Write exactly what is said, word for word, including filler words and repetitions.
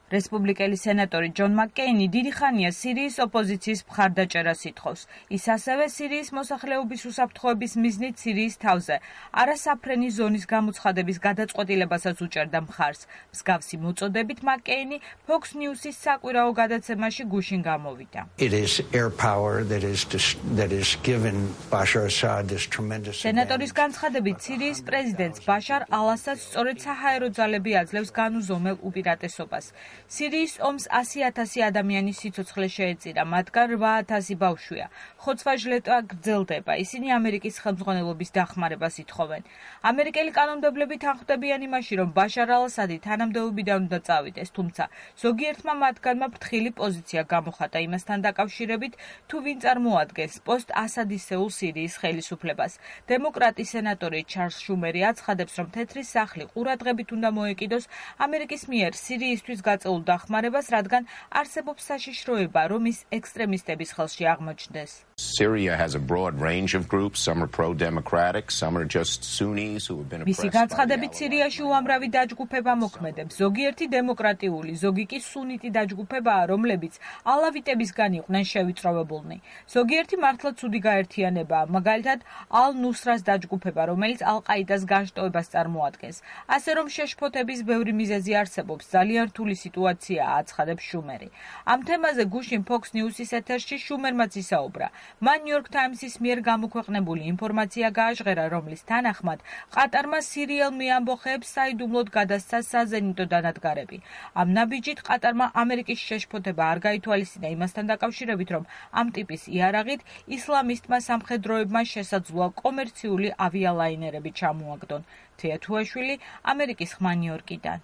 რესპუბლიკელი სენატორი ჯონ მაკკეინი დიდი ხანია სირიის ოპოზიციის მხარდაჭერას ითხოვს. ის ასევე სირიის მოსახლეობის უსაფრთხოების მიზნით სირიის თავზე არასაფრენი ზონის გამოცხადების გადაწყვეტილებასაც უჭერდა მხარს. მსგავსი მოწოდებით მაკკეინი Fox News-ის საკვირაო გადაცემაში გუშინ გამოვიდა. სენატორის განცხადებით სირიის პრეზიდენტს ბაშარ ალ-ასადს სწორედ საჰაერო ძალები აძლევს განუზომელ უპირატესობას. სირიის ომს ასი ათასი ადამიანის სიცოცხლე შეეწირა, მათგან რვა ათასი ბავშვია. ხოცვა-ჟლეტა გრძელდება. ისინი ამერიკის ხელმძღვანელობის დახმარებას ითხოვენ. ამერიკელი კანონმდებლები თანხმდებიან იმაში, რომ ბაშარ ალ-ასადი თანამდებობიდან უნდა წავიდეს, თუმცა ზოგიერთმა მათგანმა ფრთხილი პოზიცია გამოხატა იმასთან დაკავშირებით, თუ ვინ წარმოადგენს პოსტ-ასადისეულ სირიის ხელისუფლებას. დემოკრატი სენატორი ჩარლზ შუმერი აცხადებს, რომ თეთრი სახლი ყურადღებით უნდა მოეკიდოს ამერიკის მიერ სირიისთვის გაწეულ დახმარებას, რადგან არსებობს საშიშროება, რომ ის ექსტრემისტების ხელში აღმოჩნდეს. Syria has a broad range of groups. Some are pro-democratic, some are just Sunnis who have been oppressed. მისი განცხადებით სირიაში უამრავი დაჯგუფება მოქმედებს. ზოგიერთი დემოკრატიული, ზოგი კი სუნიტი დაჯგუფებაა, რომლებიც ალავიტებისგან იყვნენ შევიწროვებულნი. ზოგიერთი მართლა ცუდი გაერთიანებაა, მაგალითად ალ-ნუსრას დაჯგუფება, რომელიც ალ-ყაიდას განშტოებას წარმოადგენს. ასე რომ შეშფოთების ბევრი მიზეზი არსებობს, ძალიან რთული სიტუაციაა, აცხადებს შუმერი. ამ თემაზე გუშინ Fox News-ის ეთერში შუმერმაც ისაუბრა. მან New York Times-ის მიერ გამოქვეყნებული ინფორმაცია გააჟღერა, რომლის თანახმად ყატარმა სირიელ მეამბოხეებს საიდუმლოდ გადასცა საზენიტო დანადგარები. ამ ნაბიჯით ყატარმა ამერიკის შეშფოთება არ გაითვალისწინა იმასთან დაკავშირებით, რომ ამ ტიპის იარაღით ისლამისტმა სამხედროებმა შესაძლოა კომერციული ავიალაინერები ჩამოაგდონ. თეა თუაშვილი, ამერიკის ხმა ნიუ-იორკიდან.